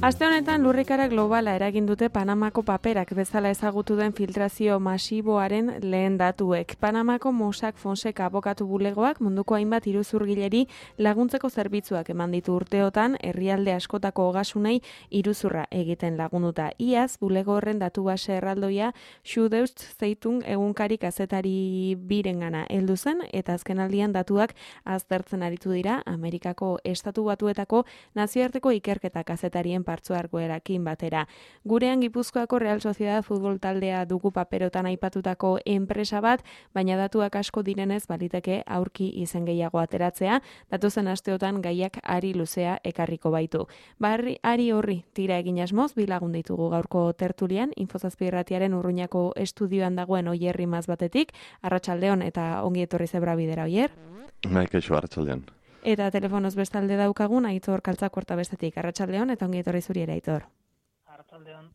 Aste honetan lurrikara globala eragin dute Panamako paperak bezala ezagutu den filtrazio masiboaren lehen datuek. Panamako Mossack Fonseca abokatu bulegoak munduko hainbat iruzurgileri laguntzeko zerbitzuak eman ditu urteotan herrialde askotako ogasunei iruzurra egiten lagunduta. Iaz bulego horren datu base erraldoia Süddeutsche Zeitung egunkari kazetari birengana heldu zen eta azkenaldian datuak aztertzen aritu dira Amerikako Estatu Batuetako nazioarteko ikerketa kazetarien partzuargoerakin batera. Gurean Gipuzkoako Real Sociedad futbol taldea dugu paperotan aipatutako enpresa bat, baina datuak asko direnez baliteke aurki izen gehiago ateratzea, datozen asteotan gaiak ari luzea ekarriko baitu. Ari horri tira egin asmoz, bilagun ditugu gaurko tertulian, Infozazpi Irratiaren Urruñako estudioan dagoen Oier Rimaz batetik, Arratsaldeon eta ongi etorri zebra bidera, Oier. Kaixo, Arratsaldeon. Eta telefonoz bestalde daukagun Aitor Kaltzakorta bestetik. Arratsaldeon eta ongi etorri zuri ere, Aitor. Arratsaldeon.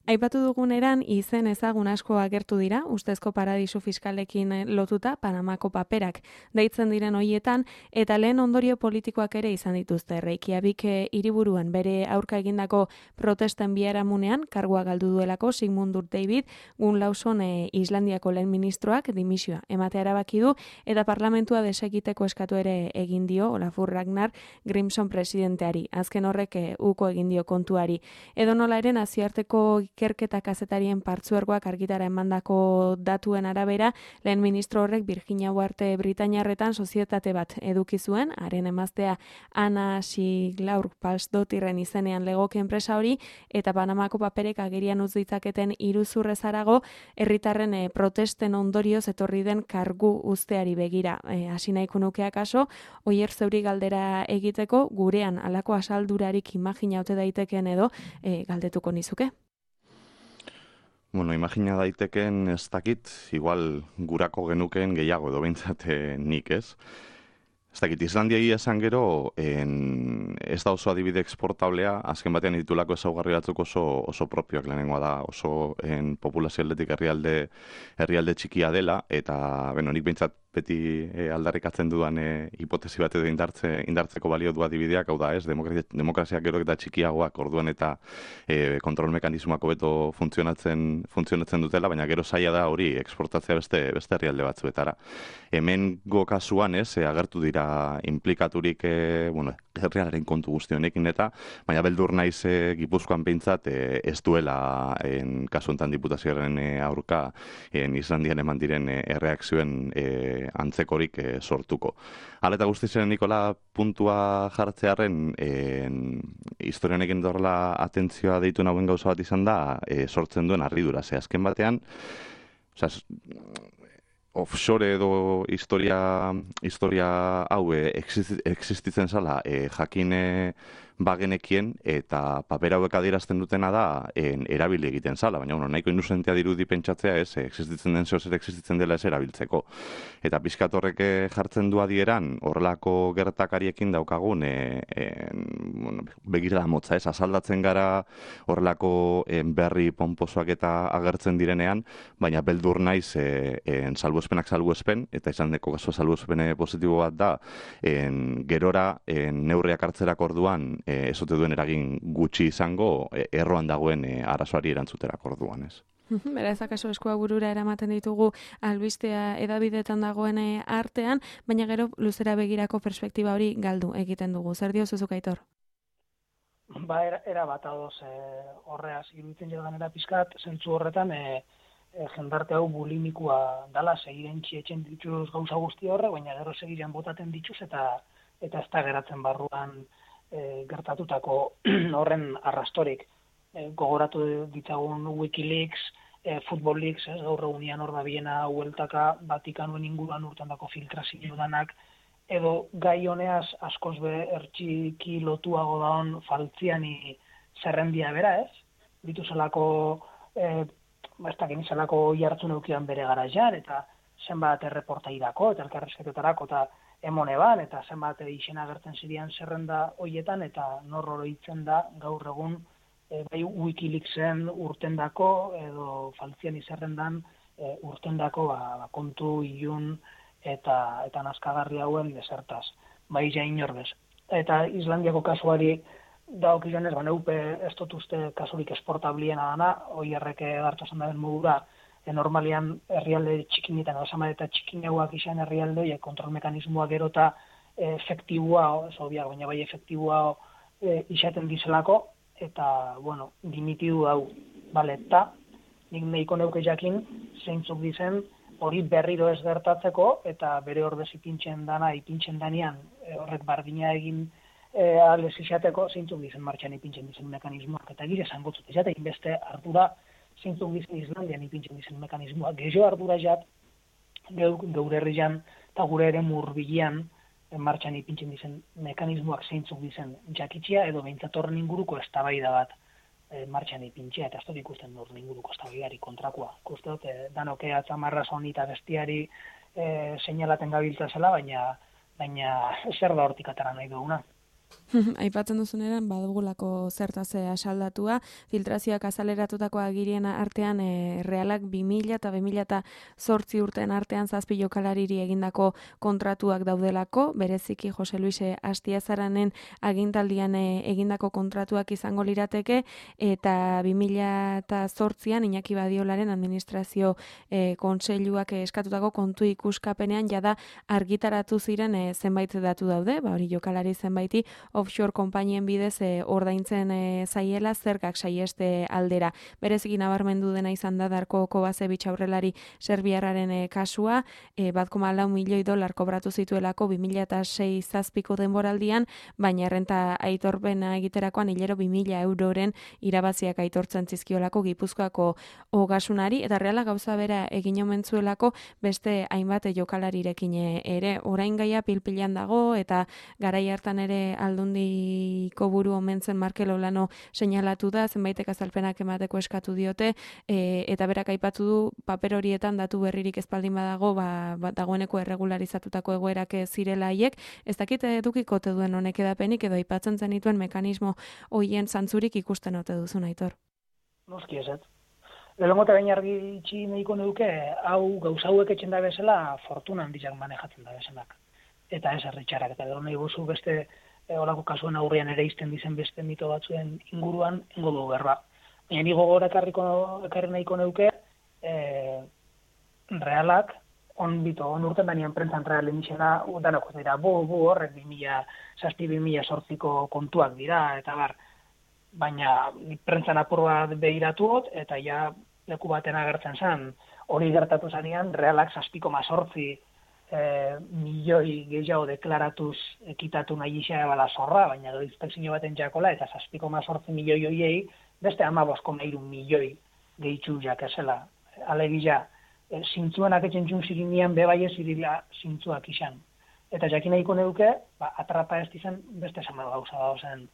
Aipatu duguneran izen ezagun asko agertu dira, ustezko paradisu fiskalekin lotuta Panamako paperak deitzen diren hoietan, eta lehen ondorio politikoak ere izan dituzte. Reykjavik hiriburuan bere aurka egindako protesten biharamunean, kargua galdu duelako Sigmundur David, Gunn Lausson Islandiako lehen ministroak dimisioa ematea erabaki du, eta parlamentua desegiteko eskatu ere egin dio Olafur Ragnar Grimson presidenteari. Azken horrek uko egin dio kontuari. Edonola ere nazioarteko ikerketa kazetarien partzuergoak argitara emandako datuen arabera, lehen ministro horrek Virginia Uharte Britainiarretan sozietate bat eduki zuen, haren emaztea Anna Siglaur Palsdottirren izenean legoke enpresa hori, eta Panamako paperek agerian utz ditzaketen iruzurrez harago, herritarren protesten ondorioz etorri den kargu uzteari begira. Hasi nahiko nuke akaso, Oier zeuri galdera egiteko, gurean halako asaldurarik imagina ote daiteken edo galdetuko nizuke. Imagina daiteken ez dakit, igual gurako genukeen gehiago edo behintzat nik ez. Ez dakit, Islandia esan gero, ez da oso adibide exportablea, azken batean ditulako ezaugarri batzuk oso propioak lehenengoa da, oso populazio aldetik herrialde txikia dela, eta nik behintzat beti aldarrikatzen dudan hipotesi bat edo indartzeko balio du adibideak, hau da ez, demokraziak gero eta txikiagoak orduan eta kontrol mekanismoak hobeto funtzionatzen dutela, baina gero zaila da hori eksportatzea beste herrialde batzuetara. Hemengo kasuan ez, agertu dira implikaturik herrialaren kontu guzti honekin eta, baina beldur naiz Gipuzkoan behintzat ez duela kasu honetan diputazioaren aurka Islandian eman diren erreakzioen antzekorik sortuko. Hala eta guztizen Nikola puntua jartzearen historian egin dorla atentzioa deitu nauen gauza bat izan da sortzen duen harridura. Azken batean, offshore edo historia hau existitzen zala jakine bagenekien eta paper hauek adierazten dutena da erabili egiten zala, baina nahiko inusentea dirudi pentsatzea ez, existitzen den zeozer existitzen dela ez erabiltzeko. Eta pixkat horrek jartzen du adieran horrelako gertakariekin daukagun begirada motza ez, asaldatzen gara horrelako berri pomposoak eta agertzen direnean, baina beldur naiz salbuespenak salbuespen, eta izan deko kaso salbuespen positibo bat da, gerora neurriak hartzerak orduan ezote duen eragin gutxi izango erroan dagoen arazoari erantzuterak orduan, ez. Beraz, akaso eskua burura eramaten ditugu albistea edabidetan dagoen artean, baina gero luzera begirako perspektiba hori galdu egiten dugu. Zer diozuzuk, Aitor? Era bat adoz horreaz, iruditzen jaganera pizkat, zentzu horretan jendarte hau bulimikoa dala, segiren txietzen dituz gauza guzti horre, baina gero segiren botaten dituz eta ez da geratzen barruan gertatutako horren arrastorik. Gogoratu ditzagun Wikileaks, Football Leaks, gaur egunean hor dabiena hueltaka Vatikanuen inguruan urtandako filtrazio danak, edo gai honeaz askoz be ertxiki lotuago daun faltziani zerrendia bera ez? Dituzelako, ez da genizelako jartzun eukidan bere garaian, eta zenbat erreportairako, eta elkarrezketetarako, eta emone ban, eta zenbat izena agertzen zirean zerrenda hoietan, eta nor oroitzen da gaur egun bai Wikileaksen urtendako, edo faltzian izerrendan urtendako kontu ilun eta nazkagarri hauen desertaz. Bai ja inorbez. Eta Islandiako kasuari daokionez, neupe ez dut uste kasurik esportabliena dana, oierrek hartu zen daren modura, normalian herrialde txikinetan, eta txikineuak izan herrialde, kontrol mekanismoa gero eta efektibua, zobiak, baina bai efektibua izaten dizelako, eta, bueno, dimitidu dau, bale, eta nik nahiko neuke jakin, zeintzuk dizen, hori berriro ez gertatzeko, eta bere ordez ipintzen danean, horrek bardina egin alez izateko, zeintzuk dizen martxan ipintzen dizen mekanismoak, eta gire zangotzut izate, inbeste ardura zeintzuk dizen Islandian ipintzen dizen mekanismoak, gehiago ardura jat, geure herrian, eta gure ere murbilian, martxan ipintzen dizen mekanismoak zeintzuk dizen jakitxia, edo behintzat horren inguruko eztabaida bat martxan ipintzea, eta ez dut ikusten horren inguruko eztabaidari kontrakoa. Ikusten dut, danoke atzamarra zoni eta bestiari seinalaten gabiltza zela, baina zer da hortik atara nahi duguna. Aipatzen duzuneran badugulako zertaz asaldatua, filtrazioak azaleratutako agirien artean Realak 2000 eta 2008 urtean artean 7 jokalariri egindako kontratuak daudelako, bereziki Jose Luis Astiazaranen agintaldian egindako kontratuak izango lirateke, eta 2008an Iñaki Badiolaren administrazio kontseiluak eskatutako kontu ikuskapenean jada argitaratu ziren zenbait datu daude, hori jokalari zenbaiti offshore konpainien bidez ordaintzen zaiela zergak saieste aldera. Bereziki nabarmendu dena izan da Darko Kovacevic aurrelari serbiarraren kasua, 1,4 milioi dolar kobratu zituelako 2006-7ko denboraldian, baina errenta aitorpena egiterakoan hilero 2000 euroren irabaziak aitortzen zizkiolako Gipuzkoako Ogasunari, eta Reala gauza bera egin omen zuelako beste hainbat jokalarirekin ere. Orain gaia pilpilan dago, eta garai hartan ere Aldundiko buru omen zen Markel Olano seinalatu da, zenbaitek azalpenak emateko eskatu diote, eta berak aipatu du paper horietan datu berririk espaldin badago, dagoeneko erregularizatutako egoerak zirela haiek. Ez dakit edukikote duen honek edapenik, edo aipatzen zenituen mekanismo hoien zantzurik ikusten ote duzu, Aitor? Noski ez. Lehenengo eta bain argi itxi nahiko neuke, hau gauza hauek etxen da bezala, fortuna handiak manejatzen da bezanak. Eta ez herritxarak, eta gero nahi guzu beste olako kasuen aurrean ere izten dizen beste mito batzuen inguruan ingo du berba. Baina ni gogora ekarri nahiko neuke, Realak, on urten banian prentzan Realen izena, danoko dira, horrek 2006-2008ko kontuak dira, eta bar, baina prentzan apur bat behiratut, eta ja leku baten agertzen zen, hori gertatu zanean, Realak 7,8 milioi gehiago deklaratuz ekitatu nahi izan bala zorra, baina do inspekzio baten jakola, eta 7,8 milioi hoiei, beste 15,3 milioi gehitzu jakesela. Alegia, zintzuenak etxentzun zirinean bebai ez zirila zintzuak izan. Eta jakin nahiko neuke, atrapa ez izan beste esan gauza dauzen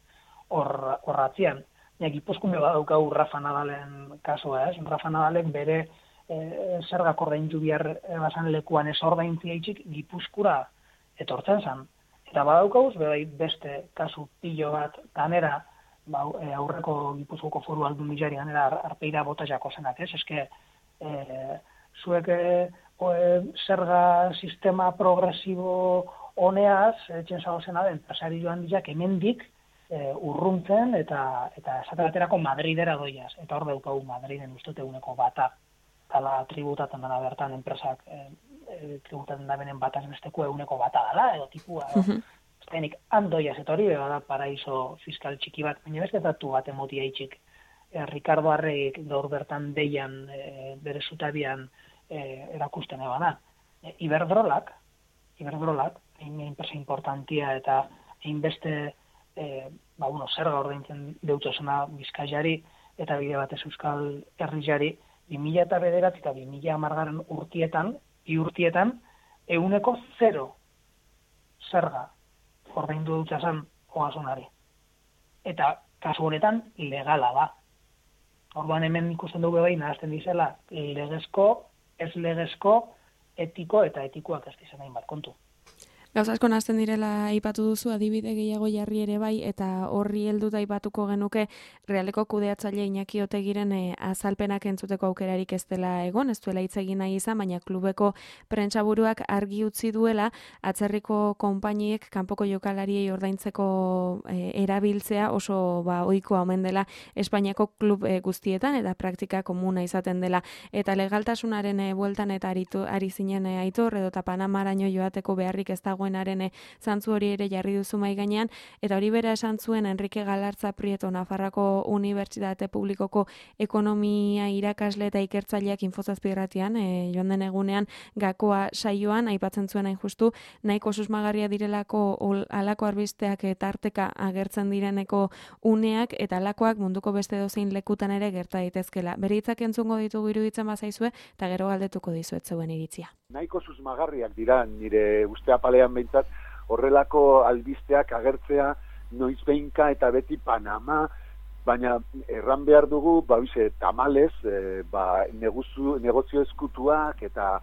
horratzian. Gipuzkoan badaukau Rafa Nadalen kasua, ez? Rafa Nadalek bere zergak ordaindu behar bazan lekuan ez ordaintzia itxik Gipuzkura etortzen zen. Eta badaukauz, beste kasu pilo bat ganera, aurreko Gipuzkoko Foru Aldundiari ganera arpeira bota jako zenak, ez? Eske, zuek zerga sistema progresibo honeaz, etxen zagozena den, pasari joan diak hemendik urruntzen eta esategaterako Madridera doiaz. Eta hor daukagu Madriden uste eguneko bata. Tala tributatzen dena bertan enpresak tributatzen da benen bataz besteko eguneko bata dela, edo tipua. Zenik, handoiaz, eta hori bada paraiso fiskal txiki bat, baina beste datu bat emotia itxik. Ricardo Arreik gaur bertan deian bere zutabian erakusten ebana. Iberdrolak, hain enpresa importantia eta hain beste zerga ordaintzen deutozena Bizkaiari eta bide batez Euskal Herriari, 2009 eta 2010 urtietan, eguneko 0 zerga ordaindu dutza zen Ogasunari. Eta kasu honetan legala da. Orduan hemen ikusten dugu behin nahazten dizela legezko, ez legezko, etiko eta etikoak ez dizena hainbat kontu. Gauz asko nazten direla aipatu duzu, adibide gehiago jarri ere bai, eta horri helduta aipatuko genuke Realeko kudeatzaile Iñaki Otegiren azalpenak entzuteko aukerarik ez dela egon, ez duela hitz egin nahi izan, baina klubeko prentsaburuak argi utzi duela, atzerriko konpainiek kanpoko jokalariei ordaintzeko erabiltzea oso ohikoa omen dela Espainiako klub guztietan, eta praktika komuna izaten dela. Eta legaltasunaren bueltan eta ari zinen Aitor, edo eta Panamaraino joateko beharrik ez dagoenaren zantzu hori ere jarri duzu mai gainean, eta hori bera esan zuen Enrique Galartza Prieto Nafarroako Unibertsitate Publikoko ekonomia irakasle eta ikertzaileak Infozazpi irratian, joan den egunean gakoa saioan, aipatzen zuen hain justu, nahiko susmagarria direlako halako arbisteak tarteka agertzen direneko uneak, eta halakoak munduko beste dozein lekutan ere gerta daitezkela. Bere hitzak entzungo ditugu iruditzen bazaizue, eta gero galdetuko dizuet zeuen iritzia. Nahiko susmagarriak dira, nire uste apalean behintzat, horrelako albisteak agertzea noizbeinka eta beti Panama, baina erran behar dugu, tamalez, negozio eskutuak eta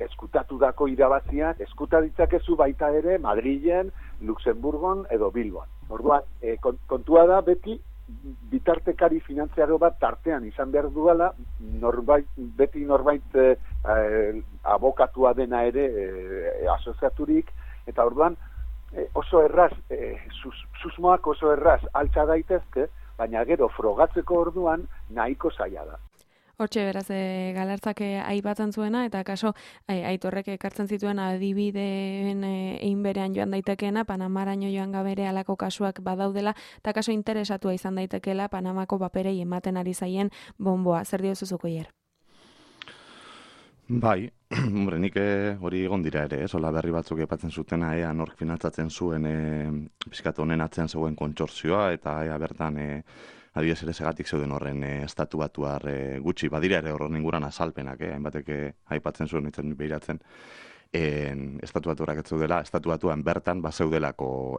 eskutatudako irabaziak, eskuta ditzakezu baita ere Madrilen, Luxemburgon edo Bilbon. Orduan, kontua da beti bitartekari finantziario bat tartean izan behar duela, beti norbait abokatua dena ere asoziaturik, eta orduan oso erraz, susmoak oso erraz altza daitezke, baina gero frogatzeko orduan nahiko zaila da. Hortxe beraz Galartzak aipatzen zuena, eta kaso Aitorrek ekartzen zituen adibideen egin berean joan daitekeena, Panamaraino joan gabere halako kasuak badaudela, eta kaso interesatua izan daitekeela Panamako paperei ematen ari zaien bonboa. Zer diozuzuko hier? Bai, hombre, nik hori egon dira ere, sola berri batzuk aipatzen zutena, nork finantzatzen zuen pixkat honen atzean zegoen kontsortzioa, eta bertan adibidez ere segatik zeuden horren estatuatuar gutxi, badira ere horren inguran azalpenak, hainbatek aipatzen zuen nintzen behiratzen, estatuaturak ez zeudela, estatuatuan bertan bazeudelako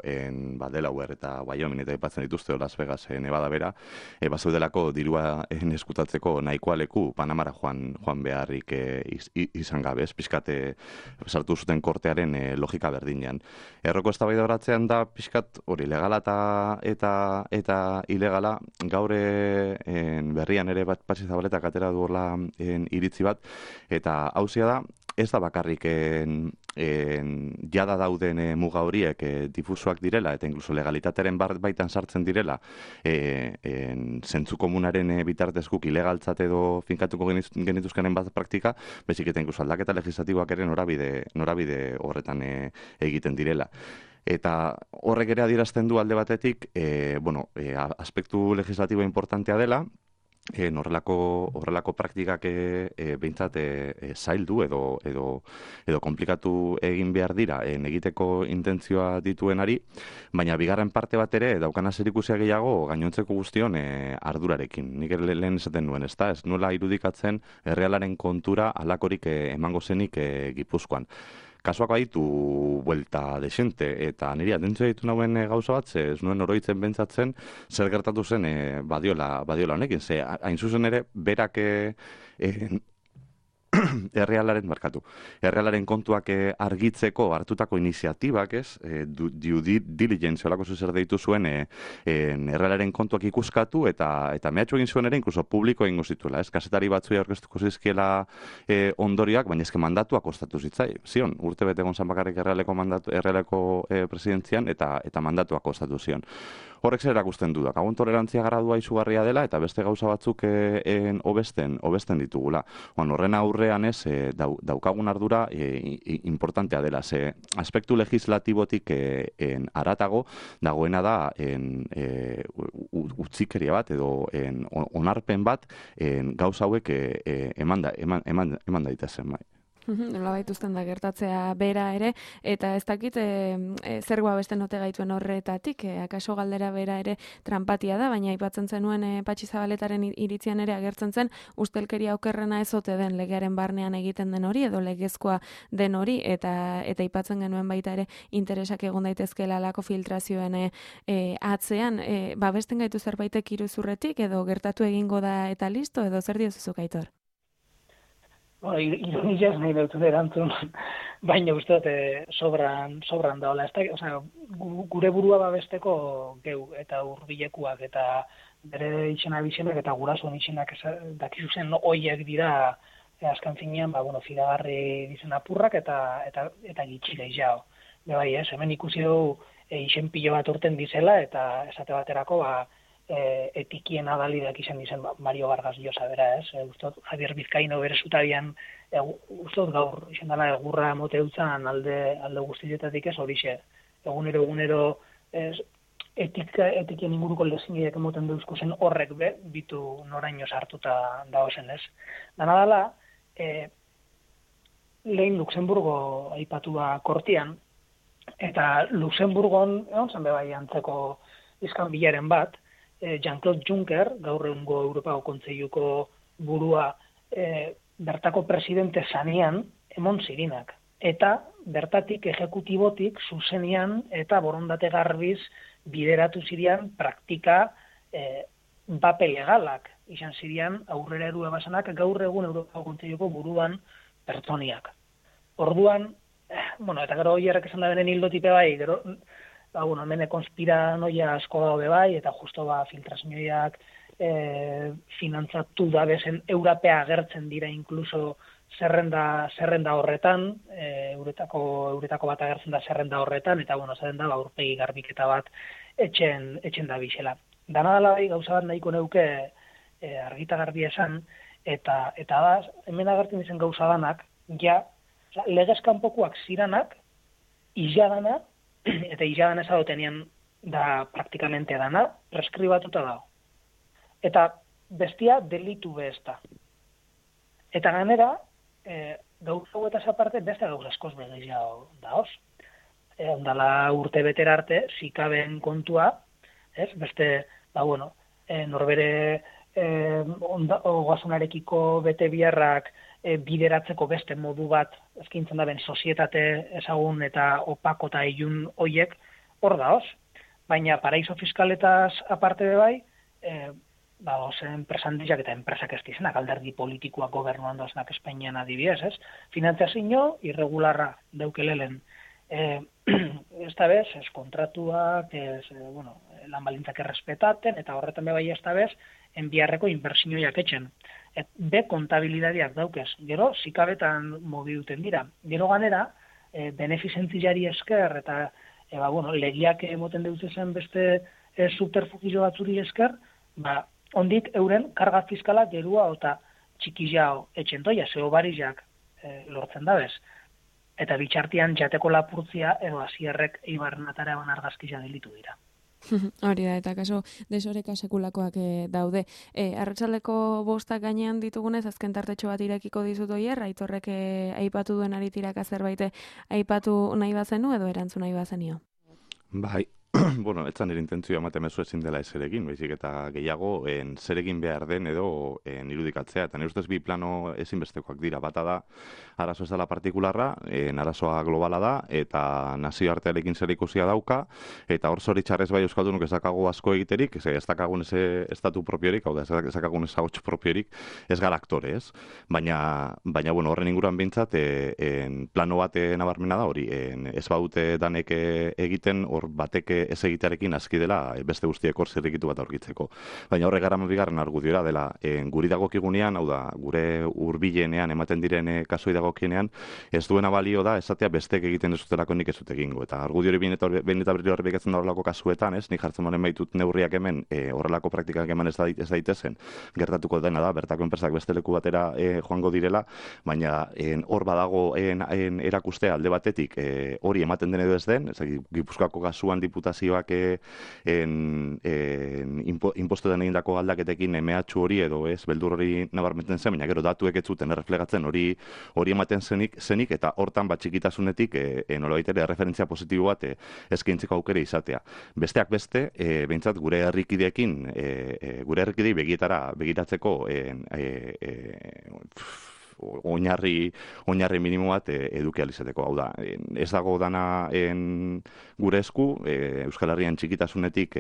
Delaware eta Wyoming eta aipatzen dituzte Las Vegas, Nevada bera, bazeudelako dirua eskutatzeko nahikoa leku Panamara joan beharrik izan gabe, pixkat sartu zuten kortearen logika berdinean. Erroko eztabaida horatzean da pixkat hori legala eta ilegala, gaur berrian ere bat Patxi Zabaletak atera duela iritzi bat, eta hauzia da, ez da bakarrik jada dauden muga horiek difusoak direla, eta inkluso legalitatearen baitan sartzen direla, zentzu komunaren bitartezkuk ilegaltzat edo finkatuko genituzkenen bat praktika, bezik eta inkluso aldaketa legislatiboak ere norabide horretan egiten direla. Eta horrek ere adierazten du alde batetik, aspektu legislatibo importantea dela, horrelako praktikak behintzat zaildu edo komplikatu egin behar dira egiteko intentzioa dituenari, baina bigarren parte bat ere daukana zerikusia gehiago gainontzeko guztion ardurarekin. Nik lehen esaten nuen, ez nuela irudikatzen errealaren kontura halakorik emango zenik Gipuzkoan. Kasuak baditu buelta desente, eta niri atentzioa ditu nauen gauza bat, ez nuen oroitzen bentsatzen, zer gertatu zen badiola honekin, ze hain zuzen ere, berak errealaren kontuak argitzeko hartutako iniziatibak, due diligence olako zer deitu zuen errealaren kontuak ikuskatu eta mehatxu egin zuen ere inkluso publiko egingo zituela, kazetari batzuei aurkeztuko zizkiela ondorioak, baina eske mandatua kostatu zion, urte bete gonzan bakarrik errealeko presidentzian eta mandatua kostatu zion. Horrek zer erakusten du da, gabon tolerantzia gradua izugarria dela eta beste gauza batzuk obesten ditugula. Horren aurrean daukagun ardura importantea dela, ze aspektu legislatibotik haratago dagoena da utzikeria bat edo onarpen bat gauza hauek eman daitezen bai. Nola baituzten da gertatzea bera ere, eta ez dakit zergoa beste note gaituen horretatik, akaso galdera bera ere trampatia da, baina aipatzen zenuen Patxi Zabaletaren iritzian ere agertzen zen, ustelkeria okerrena ez ote den legearen barnean egiten den hori, edo legezkoa den hori, eta aipatzen genuen baita ere interesak egon daitezkeela alako filtrazioen atzean, babesten gaitu zerbaitek iruzurretik, edo gertatu egingo da eta listo, edo zer diozuzuk Aitor? Bueno, ironizaz nahi dut erantzun, baina uste dut sobran daola. Osea, gure burua babesteko geu eta hurbilekuak eta bere itxena bizenak eta gurasoen itxenak dakizu zen oiek dira azken finean, fidagarri dizen apurrak eta gitxire izao. Bai, hemen ikusi dugu izen pilo bat urten dizela eta esate baterako etikien adalideak izan dizen Mario Vargas Llosa bera, Ustot Javier Vizcaíno bere zutabian ustot gaur izan dela egurra mote dutzan alde guztietatik horixe. Egunero etikien inguruko lezingideak emoten deuzko zen horrek bitu noraino sartuta dagozen, Dana dela, lehen Luxemburgo aipatua kortian, eta Luxemburgon, egon zen bebai antzeko izkan bilaren bat, Jean-Claude Juncker, gaur egungo Europako Kontseiluko burua, bertako presidente zanean emon zirinak. Eta bertatik ejekutibotik zuzenian eta borondate garbiz bideratu zirian praktika bape legalak. Izan zirian aurrera edua basanak gaur egun Europako Kontseiluko buruan pertsoniak. Orduan, eta gero hierrek esan da benen hildotipe bai, gero hemen konspiranoia asko daude bai, eta justo filtrazioak finantzatu da bezen Europea agertzen dira inkluso zerrenda horretan, euretako bat agertzen da zerrenda horretan, eta zerren da aurpegi garbiketa bat etxen da bizela. Dana dela bai, gauza bat nahiko neuke argita garbi esan, eta da, hemen agertzen dizen gauza danak, legez kanpokoak ziranak, izadana, eta izan ez tenían da praktikamente dana, preskribatuta dago. Eta bestia delitu bezta. Eta ganera, gauza huetaz aparte, beste gauza askoz begizia daoz. Ondala urte betera arte, zikaben kontua, beste, norbere ogasunarekiko bete biharrak bideratzeko beste modu bat eskintzen da ben sozietate ezagun eta opako eta ilun hoiek hor daoz. Baina paraiso fiskaletaz aparte de bai, enpresan dizak eta enpresak ez dizenak, alderdi politikoak gobernuan dauznak Espainian adibidez, Finantziazio irregularra deukelelen. Esta vez, kontratuak, lan baldintzak errespetaten, eta horretan bebai esta vez, enbiarreko inbertsioiak etxen. Kontabilidadeak daukez. Gero, zikabetan mobi duten dira. Gero ganera, benefizentziari esker, eta legiak emoten deutzezen beste subterfugio batzuri esker, ondik euren karga fiskala gerua eta txikizao etxentoia, zeo barizak lortzen dabez. Eta bitxartian jateko lapurtzia edo azierrek eibarnatara eban argazkizia delitu dira. Hori da, eta kaso desoreka sekulakoak daude. Arratsaldeko 5 gainean ditugunez, azken tartetxo bat irekiko dizut oier, Aitorrek aipatu duen aritiraka zerbait aipatu nahi bazenu edo erantzun nahi bazenio? Bai, etzan nire intentzioa ematen mezu ezin dela ezerekin, baizik eta gehiago zerekin behar den edo irudikatzea. Eta nire ustez bi plano ezinbestekoak dira. Bata da, arazo ez dela partikularra, arazoa globala da, eta nazioartearekin zer ikusia dauka, eta hor zoritxarrez bai euskaldunok ez dakago asko egiterik, ez dakagun estatu propiorik, hau da, ez dakagun ahots propiorik, ez gara aktore, ez? Baina horren inguruan bintzat, plano bat nabarmena da hori, ez badute danek egiten, hor bateke ez egitearekin aski dela beste guztiek hor zirrikitu bat aurkitzeko. Baina horrek gara bigarren argudioa dela, guri dagokigunean, hau da, gure hurbilenean ematen diren kasoi dagokienean, ez duena balio da esatea bestek egiten dezutelako nik ez dut egingo. Eta argudio hori behin eta berriro errepikatzen da horrelako kasuetan, nik jartzen moren baitut neurriak hemen horrelako praktikak eman ez daitezen, gertatuko dena da, bertako enpresak beste leku batera joango direla, baina hor badago erakustea alde batetik hori ematen den edo ez den, Gipuzkoako kasuan diputazioak impostetan egindako aldaketekin mehatxu hori edo ez, beldur hori nabarmenten zen, baina gero datuek ez zuten erreflegatzen hori ematen zenik eta hortan txikitasunetik nolabaitere referentzia positibo bat eskaintzeko aukera izatea. Besteak beste, behintzat gure herrikideekin, begiratzeko oinarri minimo bat eduki ahal izateko. Hau da, ez dago dana gure esku, Euskal Herrian txikitasunetik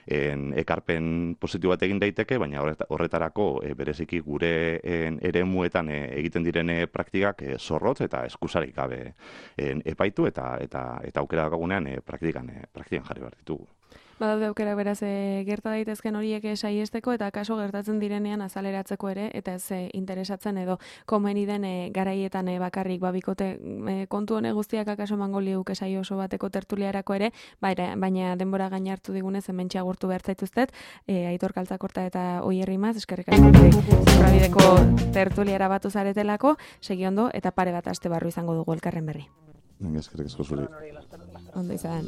ekarpen positibo bat egin daiteke, baina horretarako bereziki gure eremuetan egiten diren praktikak zorrotz eta eskusarik gabe epaitu eta aukera daukagunean praktikan jarri behar ditugu. Badaude aukera beraz gerta daitezken horiek saiesteko eta kaso gertatzen direnean azaleratzeko ere, eta ez interesatzen edo komeni den garaietan bakarrik babikote kontu hone guztiak akaso emango liuke saio oso bateko tertuliarako ere, baina denbora gain hartu digunez hementxe agurtu behar zaituztet, Aitor Kaltzakorta eta Oier Rimaz, eskerrik asko Zebrabideko tertuliara batu zaretelako, segi ondo eta pare bat aste barru izango dugu elkarren berri. Eskerrik asko zuri. Ondo izan.